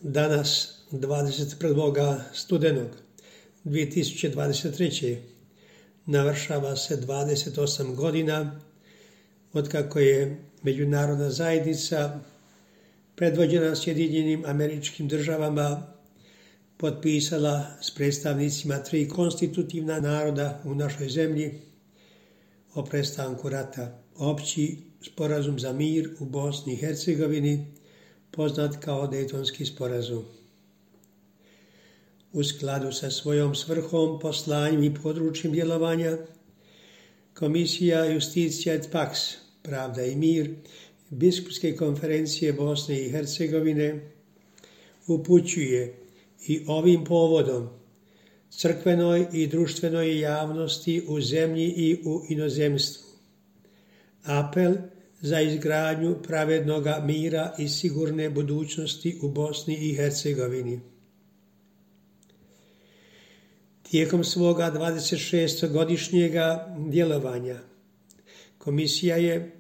Danas, 21. studenog 2023. navršava se 28 godina otkako je međunarodna zajednica predvođena Sjedinjenim Američkim Državama potpisala s predstavnicima 3 konstitutivna naroda u našoj zemlji o prestanku rata. Opći sporazum za mir u Bosni i Hercegovini, poznat kao Dejtonski sporazum. U skladu sa svojom svrhom, poslanjem i područjem djelovanja, Komisija Justitia et Pax, Pravda i mir, Biskupske konferencije Bosne i Hercegovine upućuje i ovim povodom crkvenoj i društvenoj javnosti u zemlji i u inozemstvu apel za izgradnju pravednoga mira i sigurne budućnosti u Bosni i Hercegovini. Tijekom svoga 26-godišnjega djelovanja Komisija je,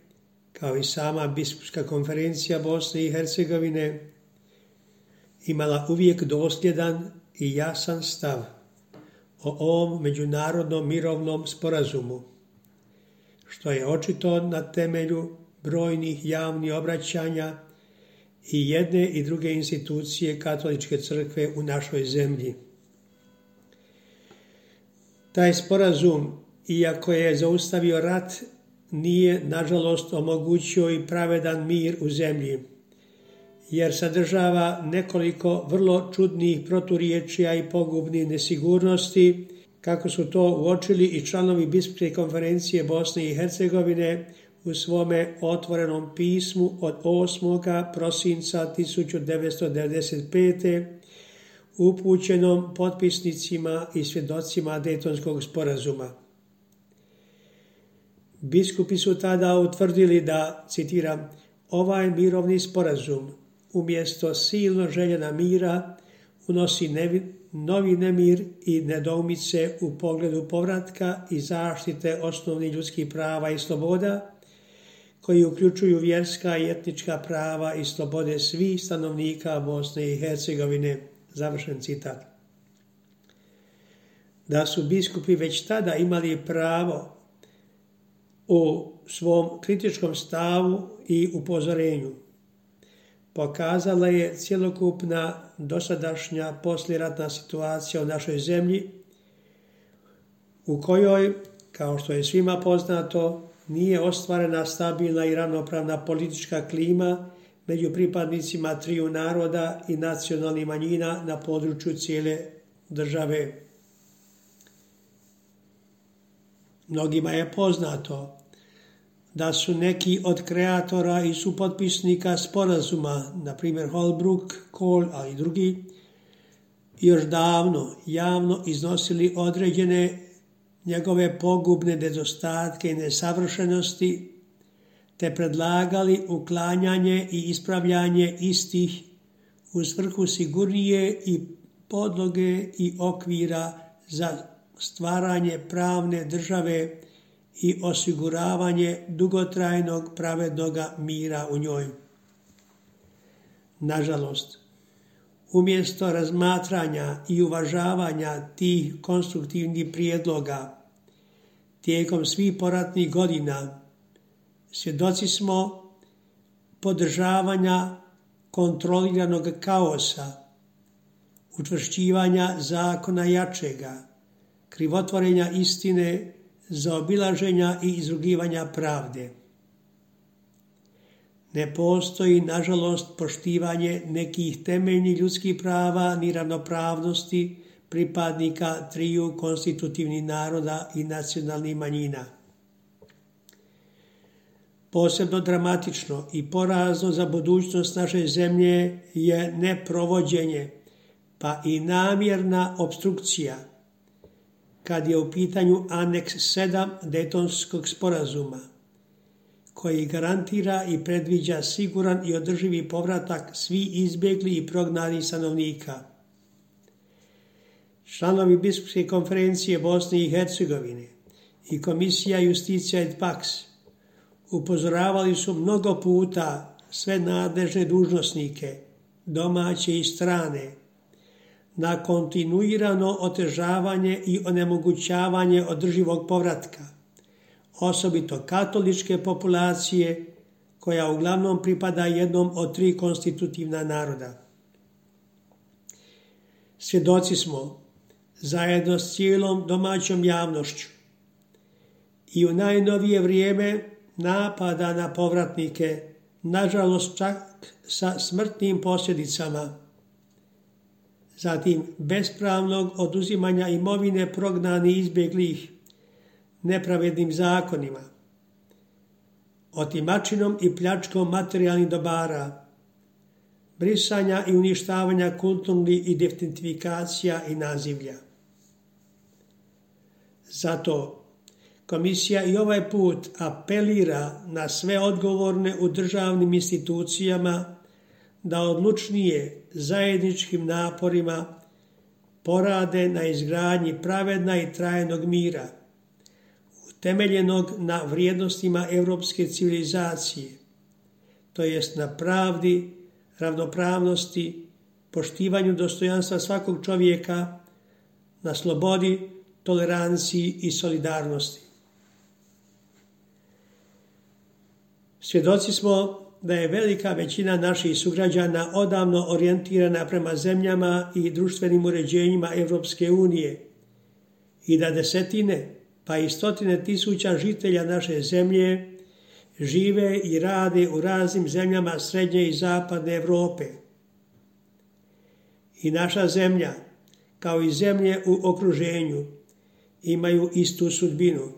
kao i sama Biskupska konferencija Bosne i Hercegovine, imala uvijek dosljedan i jasan stav o ovom međunarodnom mirovnom sporazumu, što je očito na temelju brojnih javnih obraćanja i jedne i druge institucije Katoličke crkve u našoj zemlji. Taj sporazum, iako je zaustavio rat, nije nažalost omogućio i pravedan mir u zemlji, jer sadržava nekoliko vrlo čudnih proturječja i pogubnih nesigurnosti, kako su to uočili i članovi Biskupske konferencije Bosne i Hercegovine u svome otvorenom pismu od 8. prosinca 1995. upućenom potpisnicima i svjedocima Dejtonskog sporazuma. Biskupi su tada utvrdili da, citiram, ovaj mirovni sporazum umjesto silno željena mira unosi novi nemir i nedoumice u pogledu povratka i zaštite osnovnih ljudskih prava i sloboda, koji uključuju vjerska i etnička prava i slobode svih stanovnika Bosne i Hercegovine. Završen citat. Da su biskupi već tada imali pravo u svom kritičkom stavu i upozorenju pokazala je cjelokupna dosadašnja poslijeratna situacija u našoj zemlji, u kojoj, kao što je svima poznato, nije ostvarena stabilna i ravnopravna politička klima među pripadnicima triju naroda i nacionalnih manjina na području cijele države. Mnogima je poznato da su neki od kreatora i supotpisnika sporazuma, na primjer Holbrooke, Kohl, a i drugi, još davno javno iznosili određene njegove pogubne nedostatke i nesavršenosti, te predlagali uklanjanje i ispravljanje istih u svrhu sigurnije i podloge i okvira za stvaranje pravne države i osiguravanje dugotrajnog pravednoga mira u njoj. Nažalost, umjesto razmatranja i uvažavanja tih konstruktivnih prijedloga tijekom svih poratnih godina, svjedoci smo podržavanja kontroliranog kaosa, učvršćivanja zakona jačega, krivotvorenja istine, zaobilaženja i izrugivanja pravde. Ne postoji, nažalost, poštivanje nekih temeljnih ljudskih prava ni ravnopravnosti pripadnika triju konstitutivnih naroda i nacionalnih manjina. Posebno dramatično i porazno za budućnost naše zemlje je neprovođenje, pa i namjerna opstrukcija, kad je u pitanju aneks 7 Dejtonskog sporazuma, koji garantira i predviđa siguran i održivi povratak svih izbjegli i prognanih stanovnika. Članovi Biskupske konferencije Bosne i Hercegovine i Komisija Justitia et Pax upozoravali su mnogo puta sve nadležne dužnosnike domaće i strane, na kontinuirano otežavanje i onemogućavanje održivog povratka, osobito katoličke populacije, koja uglavnom pripada jednom od 3 konstitutivna naroda. Svjedoci smo, zajedno s cijelom domaćom javnošću, i u najnovije vrijeme napada na povratnike, nažalost čak sa smrtnim posljedicama, zatim bespravnog oduzimanja imovine prognanih i izbjeglih nepravednim zakonima, otimačinom i pljačkom materijalnih dobara, brisanja i uništavanja kulturnih identifikacija i nazivlja. Zato Komisija i ovaj put apelira na sve odgovorne u državnim institucijama da odlučnije zajedničkim naporima porade na izgradnji pravedna i trajnog mira, utemeljenog na vrijednostima europske civilizacije, to jest na pravdi, ravnopravnosti, poštivanju dostojanstva svakog čovjeka, na slobodi, toleranciji i solidarnosti. Svjedoci smo da je velika većina naših sugrađana odavno orijentirana prema zemljama i društvenim uređenjima Europske unije i da desetine pa i stotine tisuća žitelja naše zemlje žive i rade u raznim zemljama srednje i zapadne Europe. I naša zemlja, kao i zemlje u okruženju, imaju istu sudbinu.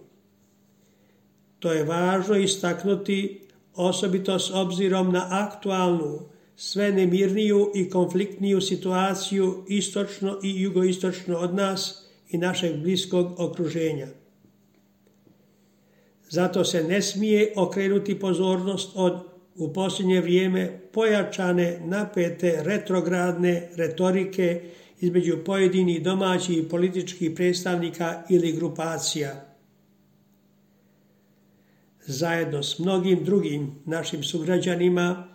To je važno istaknuti, osobito s obzirom na aktualnu, sve nemirniju i konfliktniju situaciju istočno i jugoistočno od nas i našeg bliskog okruženja. Zato se ne smije okrenuti pozornost od, u posljednje vrijeme, pojačane, napete, retrogradne retorike između pojedinih domaćih i političkih predstavnika ili grupacija. Zajedno s mnogim drugim našim sugrađanima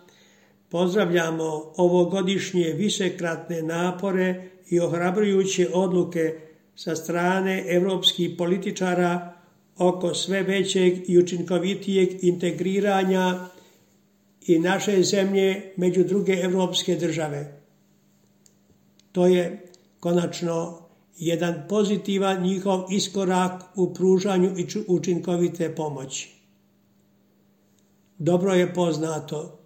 pozdravljamo ovogodišnje višekratne napore i ohrabrujuće odluke sa strane europskih političara oko sve većeg i učinkovitijeg integriranja i naše zemlje među druge europske države. To je konačno jedan pozitivan njihov iskorak u pružanju učinkovite pomoći. Dobro je poznato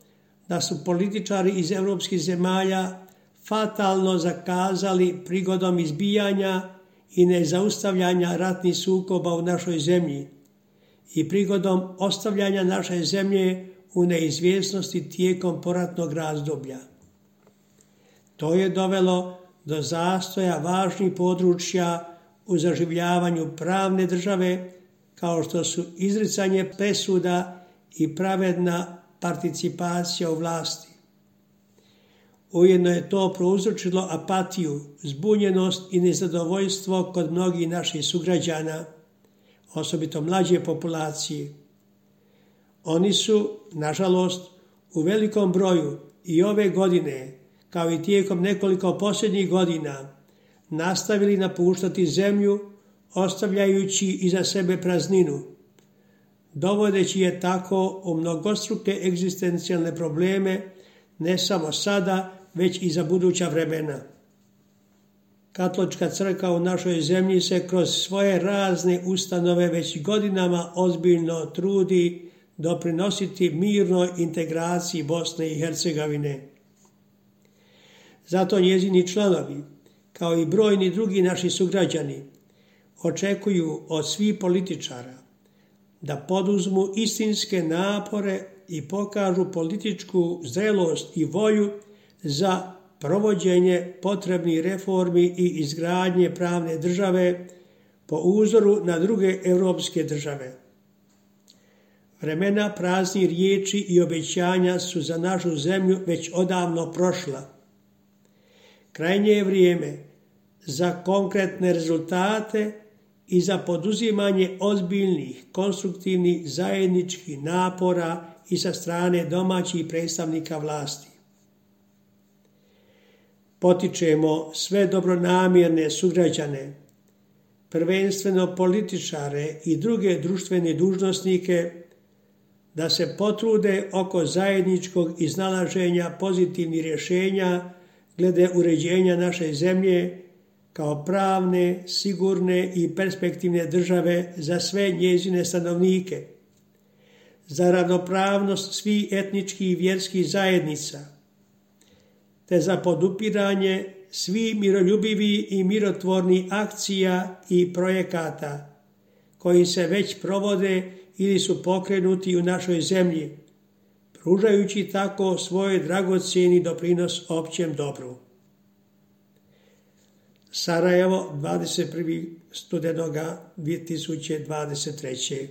da su političari iz europskih zemalja fatalno zakazali prigodom izbijanja i nezaustavljanja ratnih sukoba u našoj zemlji i prigodom ostavljanja naše zemlje u neizvjesnosti tijekom poratnog razdoblja. To je dovelo do zastoja važnih područja u zaživljavanju pravne države, kao što su izricanje presuda i pravedna participacija u vlasti. Ujedno je to prouzročilo apatiju, zbunjenost i nezadovoljstvo kod mnogih naših sugrađana, osobito mlađe populacije. Oni su, nažalost, u velikom broju i ove godine, kao i tijekom nekoliko posljednjih godina, nastavili napuštati zemlju, ostavljajući iza sebe prazninu, dovodeći je tako u mnogostruke egzistencijalne probleme, ne samo sada, već i za buduća vremena. Katolička crkva u našoj zemlji se kroz svoje razne ustanove već godinama ozbiljno trudi doprinositi mirnoj integraciji Bosne i Hercegovine. Zato njezini članovi, kao i brojni drugi naši sugrađani, očekuju od svih političara da poduzmu istinske napore i pokažu političku zrelost i volju za provođenje potrebnih reformi i izgradnje pravne države po uzoru na druge europske države. Vremena praznih riječi i obećanja su za našu zemlju već odavno prošla. Krajnje je vrijeme za konkretne rezultate i za poduzimanje ozbiljnih, konstruktivnih zajedničkih napora i sa strane domaćih predstavnika vlasti. potičemo sve dobronamjerne sugrađane, prvenstveno političare i druge društvene dužnosnike, da se potrude oko zajedničkog iznalaženja pozitivnih rješenja glede uređenja naše zemlje kao pravne, sigurne i perspektivne države za sve njezine stanovnike, za ravnopravnost svih etničkih i vjerskih zajednica, te za podupiranje svih miroljubivih i mirotvornih akcija i projekata koji se već provode ili su pokrenuti u našoj zemlji, pružajući tako svoj dragocjeni doprinos općem dobru. Sarajevo, 21. studenoga 2023.